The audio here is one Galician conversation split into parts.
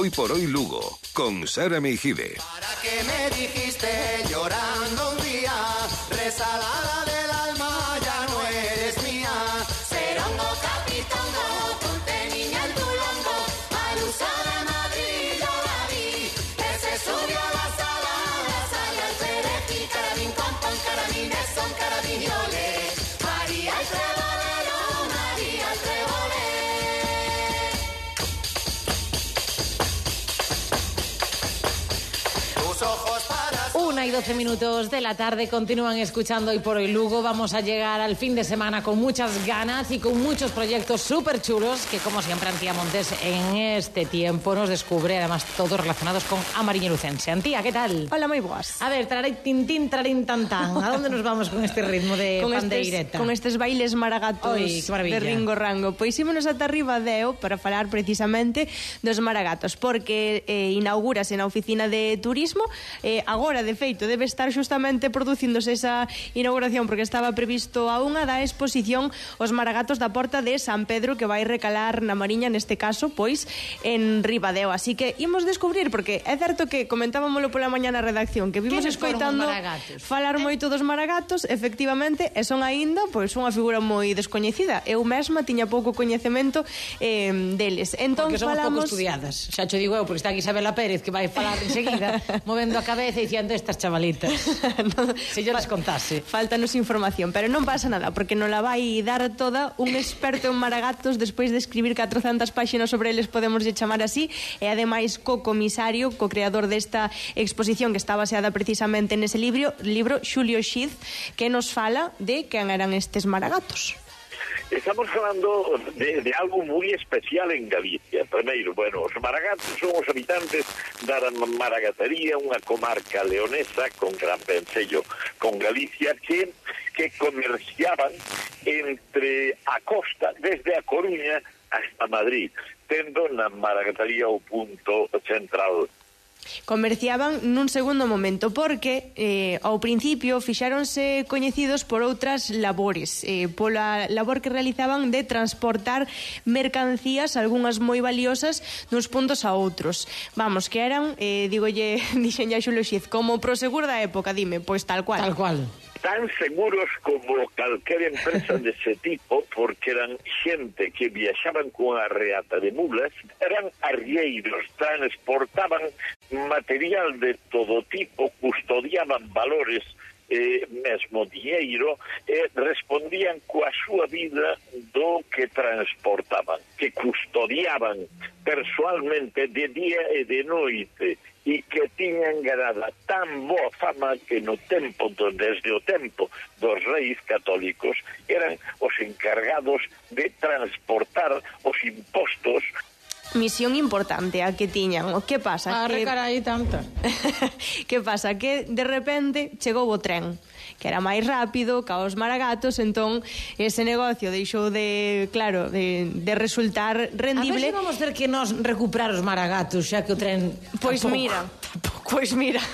Hoy por hoy Lugo, con Sara Meijide. ¿Para qué me dijiste llorando un día? Resalada del alma, ya no eres mía. Serongo, capitongo, ponte niña en tu longo. Alusa de Madrid, yo la vi. Que se subió a la sala al perejil. Carabín con pon, carabines son carabinioles. María el trebolero, María el trebolero. 1:12 minutos de la tarde, continúan escuchando Hoy por Hoy Lugo. Vamos a llegar al fin de semana con muchas ganas y con muchos proyectos súper chulos que, como siempre, Antía Montes en este tiempo nos descubre, además todos relacionados con Amariño Lucense. Antía, ¿qué tal? Hola, moi boas. A ver, tintín, trarín, tan, tan. ¿A dónde nos vamos con este ritmo de pandeireta? Con estes bailes maragatos. Oi, de Ringo Rango. Pois ímonos ata arriba Deo para falar precisamente dos maragatos, porque inaugúrase na oficina de turismo. Agora, de feito, debe estar xustamente producíndose esa inauguración, porque estaba previsto a unha da exposición Os maragatos da Porta de San Pedro, que vai recalar na Mariña, neste caso, pois, en Ribadeo. Así que imos descubrir, porque é certo que comentábamolo pola mañá na redacción, que vimos escoitando falar moito dos maragatos, efectivamente, e son aínda, pois, unha figura moi descoñecida. Eu mesma tiña pouco coñecemento deles. Entón, porque somos pouco estudiadas. Xa cho digo eu, porque está aquí Isabela Pérez, que vai falar enseguida, movendo a cabeza e diciendo estas chavalitas. No, se yo les contase. Faltanos información, pero non pasa nada, porque non la vai dar toda un experto en maragatos despois de escribir 400 páxinas sobre eles, podemos chamar así, e ademais co-comisario, co-creador desta exposición que está baseada precisamente nese libro, Xulio Xiz, que nos fala de quen eran estes maragatos. Estamos falando de algo muy especial en Galicia. Primeiro, bueno, os maragatos son os habitantes da Maragatería, unha comarca leonesa con gran vencello con Galicia, que comerciaban entre a costa, desde a Coruña hasta Madrid, tendo na Maragatería o punto central. Comerciaban nun segundo momento, porque ao principio fixáronse coñecidos por outras labores, pola labor que realizaban de transportar mercancías, algunhas moi valiosas, duns puntos a outros. Vamos, que eran, dixen ya Xulio Xiz, como prosegur da época, dime, pois tal cual. Tal cual. Tan seguros como calquera empresa dese tipo, porque eran xente que viaxaban con a reata de mulas, eran arrieiros, transportaban material de todo tipo, custodiaban valores, mesmo dinheiro, respondían coa súa vida do que transportaban, que custodiaban persoalmente de día e de noite, e que tiñan ganada tan boa fama que no tempo, desde o tempo dos reis católicos, eran os encargados de transportar os impostos. Misión importante a que tiñan. O que pasa? Carai, tanta. Que pasa? Que de repente chegou o tren, que era máis rápido ca os maragatos, entón ese negocio deixou de resultar rendible. A ver se vamos ter que nos recuperar os maragatos, xa que o tren Pois mira,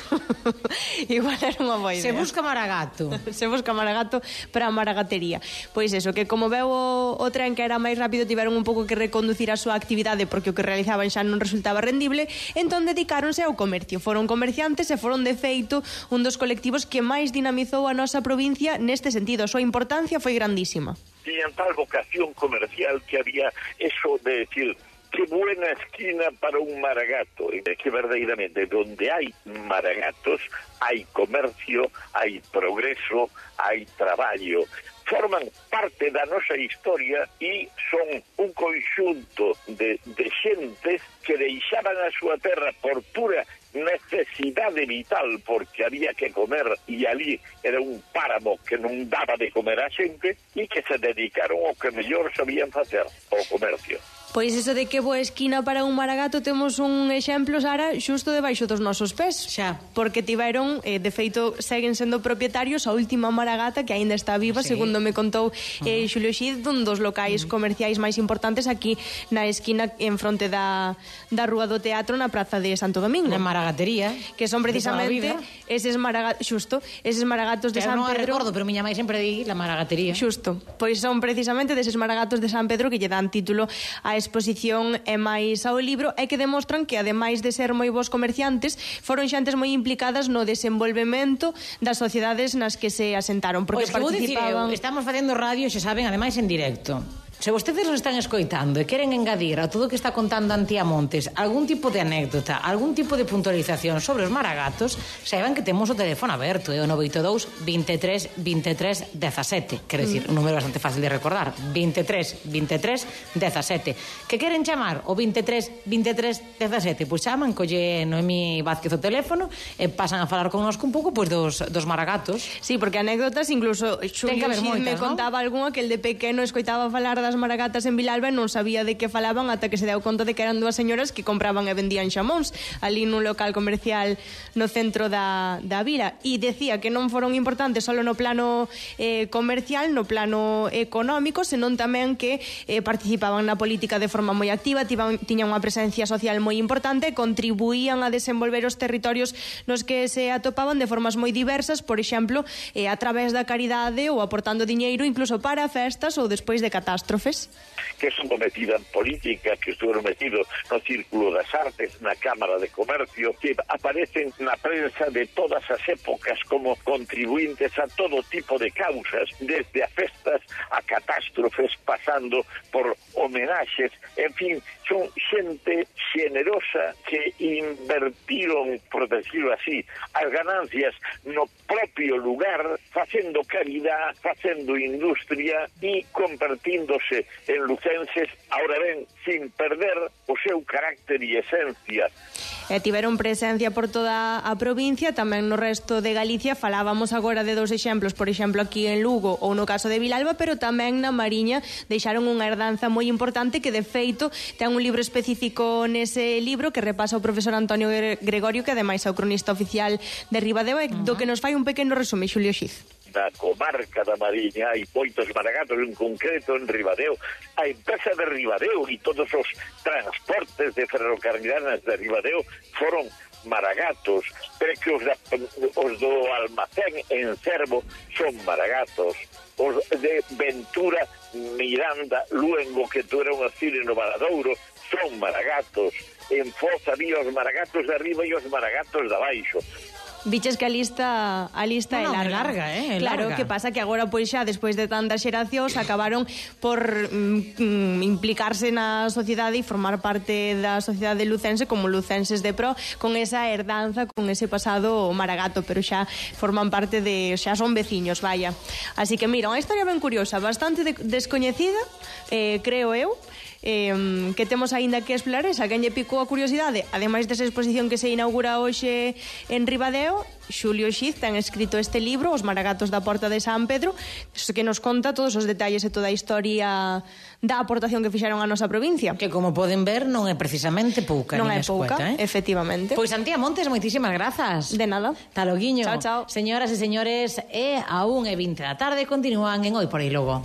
igual era unha boa idea. Se busca maragato. Se busca maragato para a maragatería. Pois eso, que como veu o tren que era máis rápido, tiveron un pouco que reconducir a súa actividade, porque o que realizaban xa non resultaba rendible, entón dedicáronse ao comercio. Foron comerciantes e foron, de feito, un dos colectivos que máis dinamizou a nosa provincia neste sentido. A súa importancia foi grandísima. Tiñan tal vocación comercial que había eso de decir: qué buena esquina para un maragato. Y que verdaderamente donde hay maragatos hay comercio, hay progreso, hay traballo. Forman parte da nosa historia e son un conxunto de xentes que deixaban a súa terra por pura necesidade vital, porque había que comer e ali era un páramo que non daba de comer a xente, e que se dedicaron ao que mellor sabían facer, ao comercio. Pois iso de que boa esquina para un maragato, temos un exemplo, Sara, xusto debaixo dos nosos pés. Xa. Porque tiveron, de feito, seguen sendo propietarios a última maragata, que aínda está viva, sí, segundo me contou Xulio Xiz, dun dos locais comerciais máis importantes aquí na esquina en fronte da Rúa do Teatro, na Praza de Santo Domingo. Na Maragatería. Que son precisamente eses maragatos de San Pedro. Non a recordo, pero miña mãe sempre di la Maragatería. Xusto. Pois son precisamente deses maragatos de San Pedro que lle dan título a exposición e máis ao libro, e que demostran que, ademais de ser moi bons comerciantes, foron xentes moi implicadas no desenvolvemento das sociedades nas que se asentaron, porque participaban... Estamos facendo radio, xa saben, ademais en directo. Se vostedes nos están escoitando e queren engadir a todo o que está contando Antía Montes algún tipo de anécdota, algún tipo de puntualización sobre os maragatos, saiban que temos o teléfono aberto, é o 982 23 23 17. Quer decir, un número bastante fácil de recordar, 23 23 17. Que queren chamar o 23 23 17, pois chaman, colle Noemí Vázquez o teléfono e pasan a falar connosco un pouco pois dos maragatos. Sí, porque anécdotas, incluso Xulio Xid me contaba algunha que el de pequeno escoitaba falar das maragatas en Vilalba e non sabía de que falaban ata que se deu conta de que eran dúas señoras que compraban e vendían xamóns ali nun local comercial no centro da vila, e decía que non foron importantes só no plano comercial, no plano económico, senón tamén que participaban na política de forma moi activa, tiñan unha presencia social moi importante e contribuían a desenvolver os territorios nos que se atopaban de formas moi diversas, por exemplo, a través da caridade ou aportando diñeiro incluso para festas ou despois de catástrofes. Que son metida en política, que estuveron metidos no Círculo das Artes, na Cámara de Comercio, que aparecen na prensa de todas as épocas como contribuintes a todo tipo de causas, desde a festas a catástrofes, pasando por homenaxes, en fin, son xente xenerosa que invertiron, por decirlo así, as ganancias no propio lugar, facendo caridad, facendo industria e convertíndose en lucenses, ahora ben, sin perder o seu carácter e esencia. Tiveron presencia por toda a provincia, tamén no resto de Galicia. Falábamos agora de dous exemplos, por exemplo aquí en Lugo ou no caso de Vilalba, pero tamén na Mariña deixaron unha herdanza moi importante que de feito ten un libro específico nese libro que repasa o profesor Antonio Gregorio, que ademais é o cronista oficial de Ribadeo, do que nos fai un pequeno resume Xulio Xid. Da comarca da Mariña hai moitos maragatos, en concreto en Ribadeo. A empresa de Ribadeo e todos os transportes de ferrocarrilanas de Ribadeo foron maragatos, pero que os do almacén en Cervo son maragatos, os de Ventura, Miranda, Luengo, que tú era un cine no Valadouro, son maragatos. En Foz había os maragatos de arriba e os maragatos de abaixo. Biches que a lista é larga. Claro, larga. Que pasa que agora pois xa despois de tantas xeracións acabaron por implicarse na sociedade e formar parte da sociedade lucense como lucenses de pro, con esa herdanza, con ese pasado maragato, pero xa forman parte xa son veciños, vaya. Así que mira, unha historia ben curiosa, bastante descoñecida, creo eu, que temos aínda que explorar. Esa quen lle picou a curiosidade, ademais desa exposición que se inaugura hoxe en Ribadeo, Xulio Xid ten escrito este libro, Os maragatos da Porta de San Pedro, que nos conta todos os detalles e toda a historia da aportación que fixeron a nosa provincia. Que como poden ver non é precisamente pouca. Non é escueta, pouca, efectivamente. Pois Antía Montes, moitísimas grazas. De nada. Ta loguiño. Chao, chao. Señoras e señores, a 1:20 da tarde continúan en Hoy por Aí Lugo.